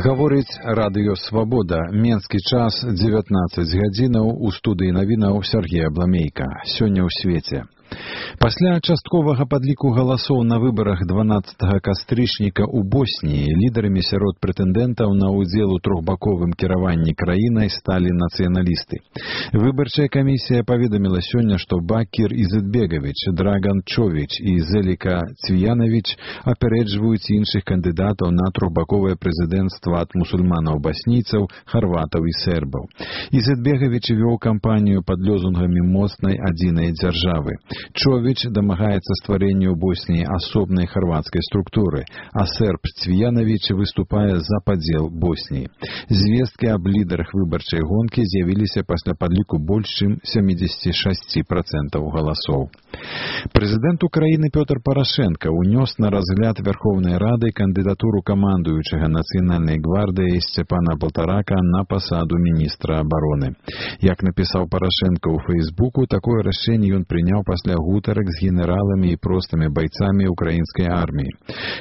Гаворыць радыё «Свабода». Менскі час 19 гадзінаў. У студыі навінаў Сергей Абламейка. Сёння ў свеце. Пасля частковага падліку галасоў на выбарах 12 кастрычніка ў Босніі лідарамі сярод прэтэндэнтаў на ўдзел у трохбаковым кіраванні краінай сталі нацыяналісты. Выбарчая камісія паведаміла сёння, што Бакір Изетбегович, Драган Човіч і Зеліка Цвіянович апярэджваюць іншых кандыдатаў на трохбаковае прэзідэнцтва ад мусульманаў-баснійцаў, харватаў і сербаў. Изетбегович вёў кампанію пад лозунгамі моцнай адзінай дзяржавы. Човіч дамагаецца стварэння ў Босніі асобнай харвацкай структуры, а серб Цвіянович выступае за падзел Босніі. Звесткі аб лідарах выбарчай гонкі з'явіліся пасля падліку больш чым 76% галасоў. Прэзідэнт Украіны Пётр Парашенка унёс на разгляд Верховнай Рады кандыдатуру камандуючага Нацыянальнай гвардыяй Сцепана Полторака на пасаду міністра абароны. Як напісаў Парашенка ў Фейсбуку, такое рашэнне ён прыняў пасля гутарак з генераламі і простымі байцамі украінскай арміі.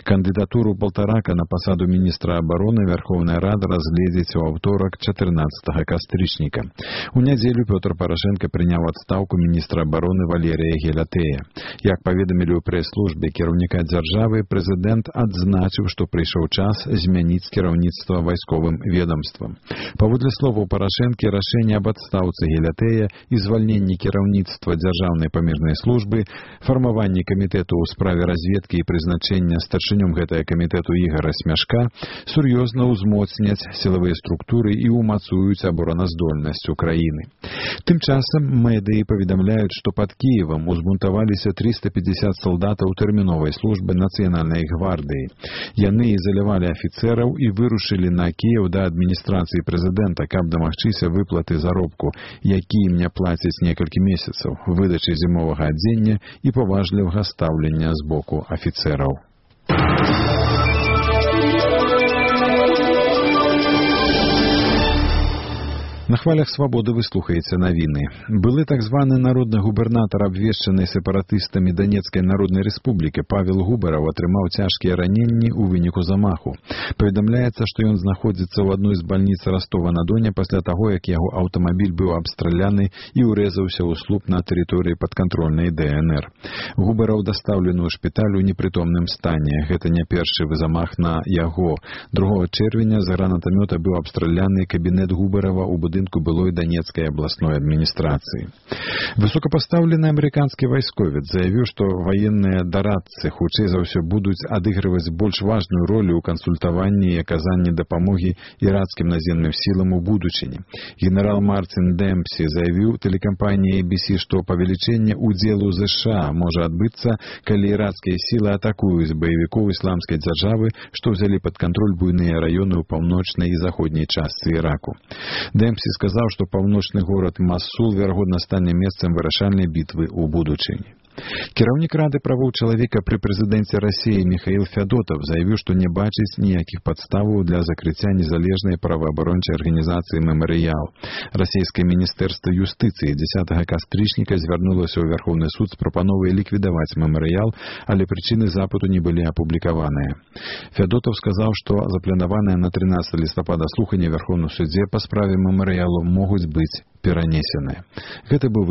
Кандыдатуру Полторака на пасаду міністра абароны Верховная Рада разгледзіць у аўторак 14 кастрычніка. У нядзелю Пётр Парашенка прыняў адстаўку міністра абароны Валерія Гелатэя. Як паведамілі ў прэс-службе кіраўніка дзяржавы, прэзідэнт адзначыў, што прыйшоў час змяніць кіраўніцтва вайсковым ведомствам. Паводле словаў Парашэнкі, рашэнне аб адстаўцы Гелатэя і звальненні кіраўніцтва дзяржаўнай памежнай службы, фармаванне камітэту ў справе разведкі і прызначэння старшынём гэтага камітэту Ігара Смяшка сур'ёзна ўзмоцняць сілавыя структуры і ўмацуюць абараназдольнасць Украіны. Тым часам медыі паведамляюць, што пад Кіевам узбунтаваліся 350 салдатаў тэрміновай службы Нацыянальнай гвардыі. Яны ізалявалі афіцэраў і вырушылі на Кіеў да адміністрацыі прэзідэнта, каб дамагчыся выплаты заробку, які ім не плацяць некалькі месяцаў, выдачы зімовага адзення і паважлівага стаўлення з боку афіцэраў. На хвалях «Свабоды» вы слухаеце навіны. Былы так званы народны губернатар, абвешчанай сепаратыстамі Донецкай Народнай Рэспублікі Павел Губараў атрымаў цяжкія раненні ў выніку замаху. Паведамляецца, што ён знаходзіцца ў адной з бальніц Ростова-на-Доне пасля таго, як яго аўтамабіль быў абстраляны і ўрэзаўся ў слуп на тэрыторыі падкантрольнай ДНР. Губараў дастаўлены ў шпіталь у непрытомным стане. Гэта не першы замах на яго. 2 чэрвеня з гранатамёта быў абстраляны кабінет Губарава ў будынку былой Донецкай абласной адміністрацыі. Высокапастаўлены амерыканскі вайсковец заявіў, што ваенныя дарадцы хутчэй за ўсё будуць адыгрываць больш важную ролю ў кансультаванні і аказанні дапамогі ірацкім наземным сілам у будучыні. Генерал Мартин Демпсі заявіў тэлекампаніі ABC, што павелічэнне ўдзелу ЗША можа адбыцца, калі ірацкія сілы атакуюць баевікоў ісламскай дзяржавы, што ўзялі пад кантроль буйныя раёны ў паўночнай і заходняй частцы Іраку. Демпсі сказаў, што паўночны горад Масул верагодна стане месцам вырашальнай бітвы ў будучыні. Кіраўнік Рады правоў чалавека пры прэзідэнце Расіі Міхаіл Фядотаў заявіў, што не бачыць ніякіх падставаў для закрыцця незалежнай праваабарончай арганізацыі «Мемарыял». Расійскае міністэрства юстыцыі 10 кастрычніка звярнулася ў Верховны суд з прапановай ліквідаваць «Мемарыял», але прычыны запыту не былі апублікаваныя. Фядотаў сказаў, што запланаваныя на 13 лістапада слуханне Верховным судзе па справе «Мемарыялу» могуць быць перанесеныя. Гэта быў